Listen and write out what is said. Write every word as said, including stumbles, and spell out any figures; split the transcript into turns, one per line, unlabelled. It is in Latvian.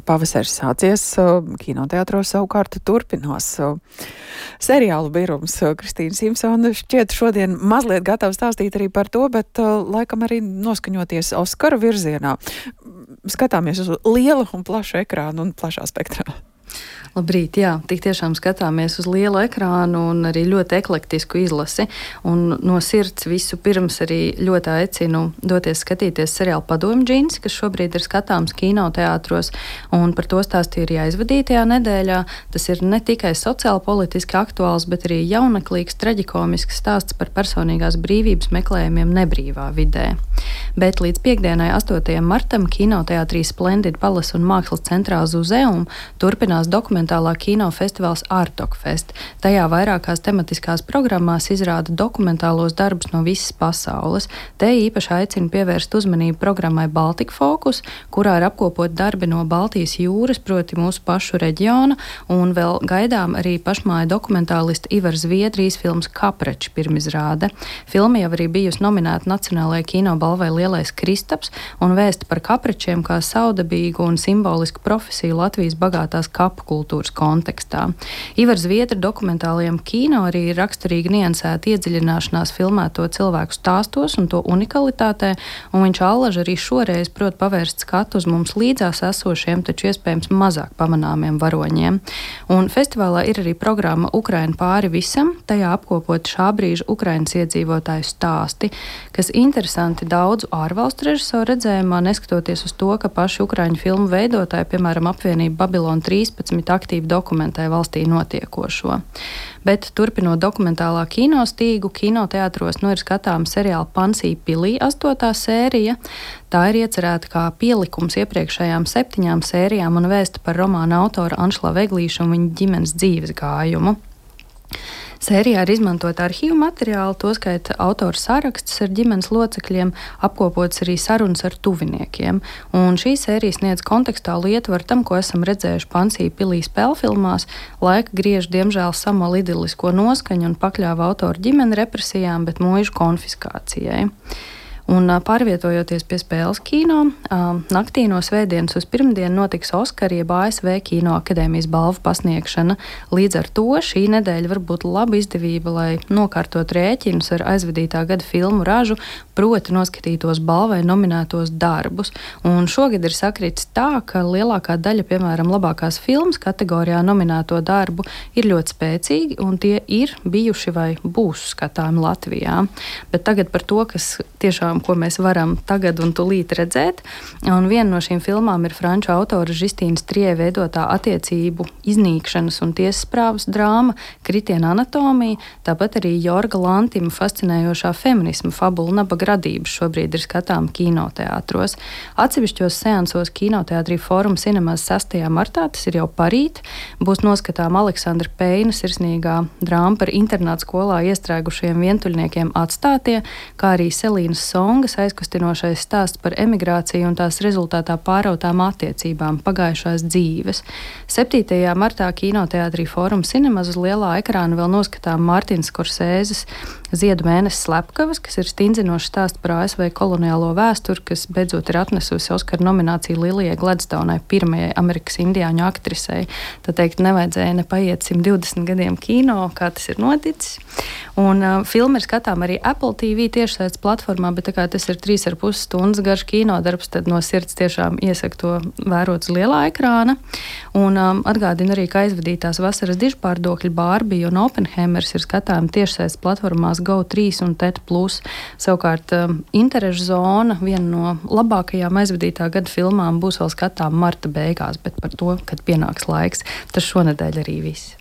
Pavasaris sācies, kinoteātros savukārt turpinās seriālu birums. Kristīna Simpsona šķiet šodien mazliet gatava stāstīt arī par to, bet laikam arī noskaņoties Oskaru virzienā. Skatāmies uz lielu un plašu ekrānu un plašā spektrā.
Labrīt, jā, tik tiešām skatāmies uz lielu ekrānu un arī ļoti eklektisku izlasi. Un no sirds visu pirms arī ļoti aicinu doties skatīties seriālu Padomju džinsi, kas šobrīd ir skatāms kinoteātros, un par to stāstīju arī aizvadītajā nedēļā. Tas ir ne tikai sociāli politiski aktuāls, bet arī jauneklīgs, traģikomisks stāsts par personīgās brīvības meklējumiem nebrīvā vidē. Bet līdz piekdienai, astotajam martam, kinoteātrī Splendid Palace un Mākslas centrā Zuzeum turpinās dokumentālā kino festivāls Artokfest. Tajā vairākās tematiskās programmās izrāda dokumentālos darbus no visas pasaules. Te īpaši aicinu pievērst uzmanību programmai Baltic Focus, kurā ir apkopot darbi no Baltijas jūras, proti mūsu pašu reģiona, un vēl gaidām arī pašmāja dokumentālista Ivara Zviedrijas filmas Kaprači pirmizrāde. Filma jau arī bijusi nominēta Nacionālajai kinobalvai Lielais Kristaps un vēsta par kapračiem kā saudabīgu un simbolisku profesiju Latvijas bagātās kapu kultūras kontekstā. Ivars Zviedra dokumentālajam kino arī ir raksturīgi niansēta iedziļināšanās filmēto cilvēku stāstos un to unikalitātē, un viņš allaž arī šoreiz prot pavērst skatu uz mums līdzās esošiem, taču iespējams mazāk pamanāmiem varoņiem. Un festivālā ir arī programma Ukraina pāri visam, tajā apkopot šā brīža Ukrainas iedzīvotāju stāsti, kas interesanti daudzu ārvalstu režisoru redzējumā, neskatoties uz to, ka paši ukraiņu filmu veidotāji, piemēram, apvienība Babilona trīspadsmit, aktīvi dokumentē valstī notiekošo. Bet turpinot dokumentālā kinostīgu, kinoteātros nu ir skatāma seriāla Pansī pilī astotā sērija. Tā ir iecerēta kā pielikums iepriekšējām septiņām sērijām un vēsta par romāna autora Anšla Veglīša un viņa ģimenes dzīves gājumu. Sērijā ir izmantot arhīvu materiālu, toskaita autora sarakstus ar ģimenes locekļiem, apkopots arī sarunas ar tuviniekiem. Un šī sērija sniedz kontekstālu ietvaru tam, ko esam redzējuši Pansī pilī spēlfilmās. Laika griež diemžēl samal idilisko noskaņu un pakļāva autora ģimeni represijām, bet mūžu konfiskācijai. Un pārvietojoties pie spēles kino, naktī no svētdienas uz pirmdienu notiks Oskara jeb A S V Kino akadēmijas balvu pasniegšana. Līdz ar to šī nedēļa var būt laba izdevība, lai nokārtot rēķinus ar aizvadītā gada filmu ražu, proti noskatītos balvai nominētos darbus. Un šogad ir sakritis tā, ka lielākā daļa, piemēram, labākās filmas kategorijā nominēto darbu ir ļoti spēcīgi, un tie ir bijuši vai būs skatāmi Latvijā. Bet tagad par to, kas tiešām ko mēs varam tagad un tūlīt redzēt. Un viena no šīm filmām ir franču autora Žistīnas Trie veidotā attiecību iznīkšanas un tiesasprāvas drāma Kritiena anatomija, tāpat arī Jorga Lantima fascinējošā feminisma fabula Nabaga radības šobrīd ir skatām kinoteātros. Atsevišķos seansos kinoteātrī Fórum Cinemas sestajā martā, tas ir jau parīt, būs noskatām Aleksandra Peina sirsnīgā drāma par internātu skolā iestrēgušiem vientuļniekiem Atstātie, kā arī Selīnas Songas aizkustinošais stāsts par emigrāciju un tās rezultātā pārautām attiecībām pagājušās dzīves. septītajā martā kinoteātrī Fórum Cinemas uz lielā ekrāna vēl noskatām Mārtiņa Skorsēzes Ziedu mēnesis slepkavas, kas ir stingzinošs stāsts par A S V koloniālo vēsturi, kas beidzot ir atnesusi Oskara nomināciju Lilijai Gladstoneai, pirmajai Amerikas indiāņu aktrisei. Tā teikt, nevajadzēja nepaiet simt divdesmit gadiem kino, kā tas ir noticis. Un uh, filma ir skatām arī Apple T V tiešsaistes platformā, bet tā kā tas ir trīs ar pus stundas garš kinodarbs, tad no sirds tiešām iesaku to vērot uz lielā ekrāna. Un um, atgādinu arī, ka aizvadītās vasaras dižpārdokļi Barbie un Oppenheimers ir skatām tiešsaistes platformās Go trīs un T E T plus. Savukārt um, interešu zona, viena no labākajām aizvadītā gada filmām, būs vēl skatām marta beigās, bet par to, kad pienāks laiks, tas šonedēļ arī viss.